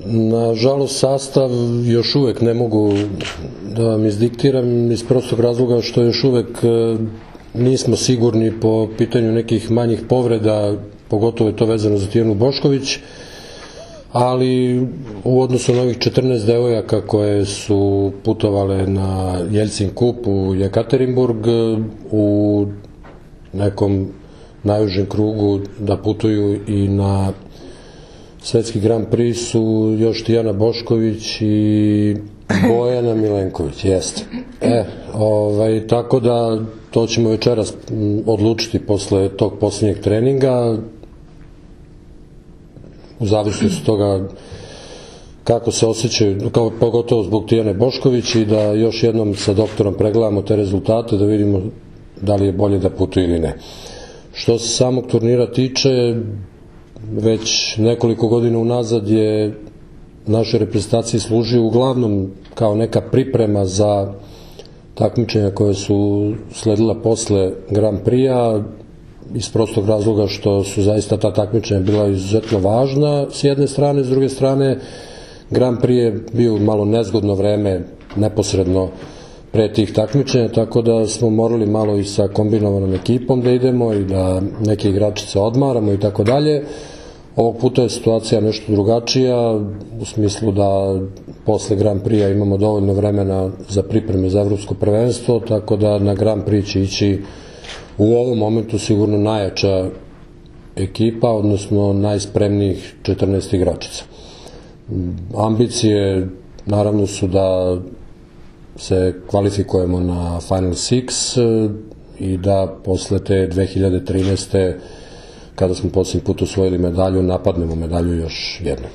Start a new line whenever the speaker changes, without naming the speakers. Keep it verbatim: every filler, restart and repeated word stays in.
Nažalost, sastav još uvek ne mogu da vam izdiktiram iz prostog razloga što još uvek nismo sigurni po pitanju nekih manjih povreda, pogotovo je to vezano za Tijanu Bošković, ali u odnosu na ovih četrnaest devojaka koje su putovale na Jelcin kup u Jekaterinburg, u nekom najužem krugu da putuju i na Svetski Grand Prix su još Tijana Bošković i Bojana Milenković, jeste. E, ovaj, tako da to ćemo večeras odlučiti posle tog posljednjeg treninga, u zavisnosti od toga kako se osjećaju, kao pogotovo zbog Tijane Bošković, i da još jednom sa doktorom pregledamo te rezultate, da vidimo da li je bolje da putuje ili ne. Što se samog turnira tiče, već nekoliko godina unazad je našoj reprezentaciji služio uglavnom kao neka priprema za takmičenja koje su sledila posle Grand Prix-a, iz prostog razloga što su zaista ta takmičenja bila izuzetno važna s jedne strane, s druge strane Grand Prix je bio malo nezgodno vreme neposredno pre tih takmičenja, tako da smo morali malo i sa kombinovanom ekipom da idemo i da neke igračice odmaramo i tako dalje. Ovog puta je situacija nešto drugačija, u smislu da posle Grand Prix-a imamo dovoljno vremena za pripreme za evropsko prvenstvo, tako da na Grand Prix će ići u ovom momentu sigurno najjača ekipa, odnosno najspremnijih četrnaest igračica. Ambicije naravno su da se kvalifikujemo na Final Six i da posle te dve hiljade trinaeste. kada smo posljednji put osvojili medalju, napadnemo medalju još jednom.